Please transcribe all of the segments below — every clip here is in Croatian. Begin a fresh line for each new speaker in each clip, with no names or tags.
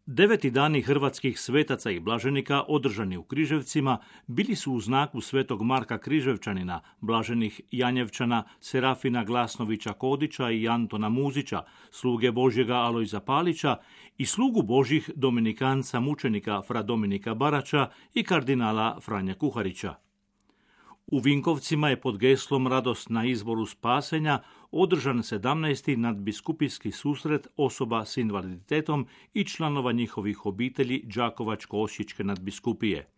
9. dani hrvatskih svetaca i blaženika održani u Križevcima bili su u znaku svetog Marka Križevčanina, blaženih Janjevčana, Serafina Glasnovića Kodića i Antona Muzića, sluge Božjega Alojza Palića i slugu Božjih dominikanca mučenika fra Dominika Barača i kardinala Franja Kuharića. U Vinkovcima je pod geslom Radost na izboru spasenja održan 17. nadbiskupijski susret osoba s invaliditetom i članova njihovih obitelji Đakovačko-osječke nadbiskupije.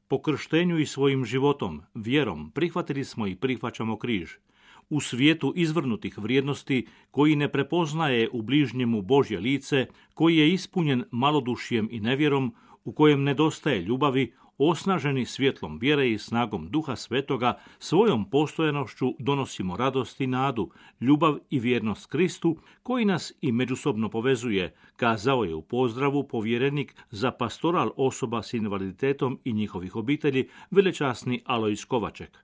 Po krštenju i svojim životom, vjerom, prihvatili smo i prihvaćamo križ. U svijetu izvrnutih vrijednosti, koji ne prepoznaje u bližnjemu Božje lice, koji je ispunjen malodušjem i nevjerom, u kojem nedostaje ljubavi, osnaženi svjetlom vjere i snagom Duha Svetoga, svojom postojanošću donosimo radost i nadu, ljubav i vjernost Kristu, koji nas i međusobno povezuje, kazao je u pozdravu povjerenik za pastoral osoba s invaliditetom i njihovih obitelji, velečasni Alojz Kovaček.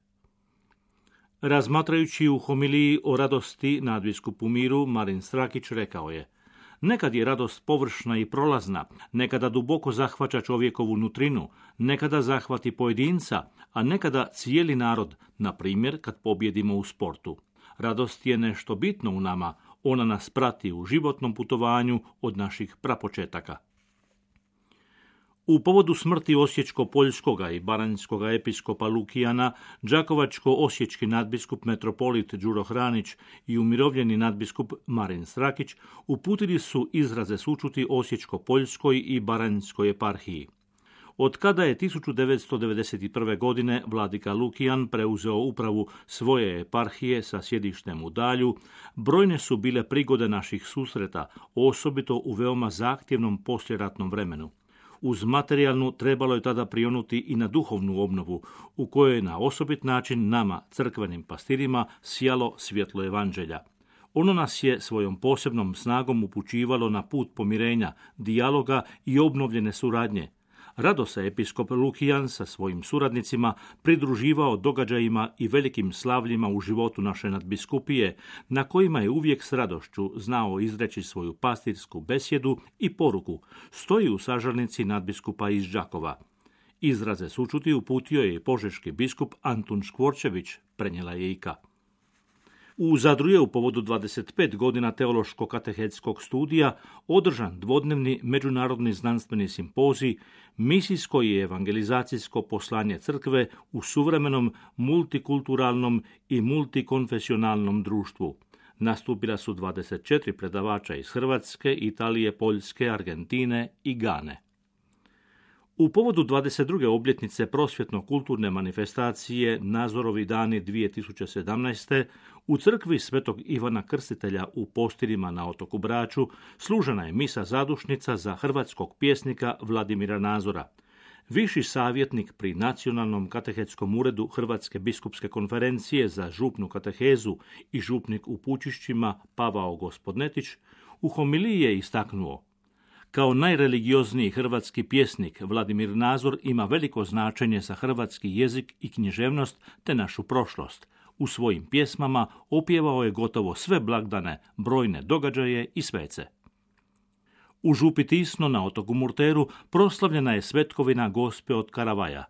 Razmatrajući u homiliji o radosti nadbiskupu Miru, Marin Strakić rekao je: nekad je radost površna i prolazna, nekada duboko zahvaća čovjekovu nutrinu, nekada zahvati pojedinca, a nekada cijeli narod, na primjer kad pobjedimo u sportu. Radost je nešto bitno u nama, ona nas prati u životnom putovanju od naših prapočetaka. U povodu smrti osječko-poljskoga i baranjskoga episkopa Lukijana, đakovačko-osječki nadbiskup metropolit Đuro Hranić i umirovljeni nadbiskup Marin Strakić uputili su izraze sućuti osječko-poljskoj i baranjskoj eparhiji. Od kada je 1991. godine vladika Lukijan preuzeo upravu svoje eparhije sa sjedištem u Dalju, brojne su bile prigode naših susreta, osobito u veoma zahtjevnom poslijeratnom vremenu. Uz materijalnu trebalo je tada prionuti i na duhovnu obnovu, u kojoj je na osobit način nama, crkvenim pastirima, sijalo svjetlo evanđelja. Ono nas je svojom posebnom snagom upućivalo na put pomirenja, dijaloga i obnovljene suradnje. Rado se episkop Lukijan sa svojim suradnicima pridruživao događajima i velikim slavljima u životu naše nadbiskupije, na kojima je uvijek s radošću znao izreći svoju pastirsku besjedu i poruku, stoji u sažarnici nadbiskupa iz Đakova. Izraze sućuti uputio je i požeški biskup Antun Škvorčević, prenijela je Ika. U Zadru je u povodu 25 godina teološko-katehetskog studija održan dvodnevni međunarodni znanstveni simpozij Misijsko i evangelizacijsko poslanje crkve u suvremenom multikulturalnom i multikonfesionalnom društvu. Nastupila su 24 predavača iz Hrvatske, Italije, Poljske, Argentine i Gane. U povodu 22. obljetnice prosvjetno-kulturne manifestacije Nazorovi dani 2017. u crkvi Svetog Ivana Krstitelja u Postirima na otoku Braču služena je misa zadušnica za hrvatskog pjesnika Vladimira Nazora. Viši savjetnik pri Nacionalnom katehetskom uredu Hrvatske biskupske konferencije za župnu katehezu i župnik u Pučišćima Pavao Gospodnetić u homiliji je istaknuo: kao najreligiozniji hrvatski pjesnik, Vladimir Nazor ima veliko značenje za hrvatski jezik i književnost te našu prošlost. U svojim pjesmama opjevao je gotovo sve blagdane, brojne događaje i svece. U župi Tisno na otoku Murteru proslavljena je svetkovina Gospe od Karavaja.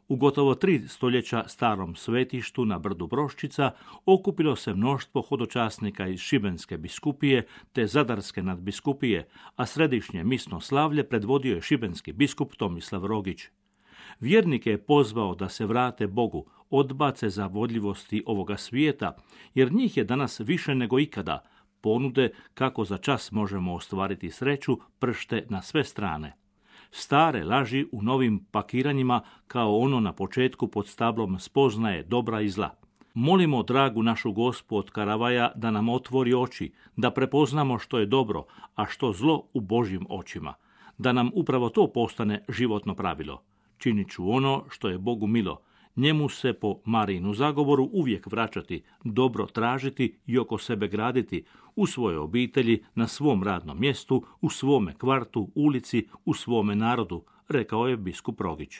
U gotovo 3 stoljeća starom svetištu na brdu Broščica okupilo se mnoštvo hodočasnika iz Šibenske biskupije te Zadarske nadbiskupije, a središnje misno slavlje predvodio je šibenski biskup Tomislav Rogić. Vjernike je pozvao da se vrate Bogu, odbace zavodljivosti ovoga svijeta, jer njih je danas više nego ikada. Ponude kako za čas možemo ostvariti sreću pršte na sve strane. Stare laži u novim pakiranjima kao ono na početku pod stablom spoznaje dobra i zla. Molimo dragu našu Gospu od Karavaja da nam otvori oči, da prepoznamo što je dobro, a što zlo u Božjim očima. Da nam upravo to postane životno pravilo. Činit ću ono što je Bogu milo. Njemu se po Marijinu zagovoru uvijek vraćati, dobro tražiti i oko sebe graditi, u svojoj obitelji, na svom radnom mjestu, u svome kvartu, ulici, u svome narodu, rekao je biskup Rogić.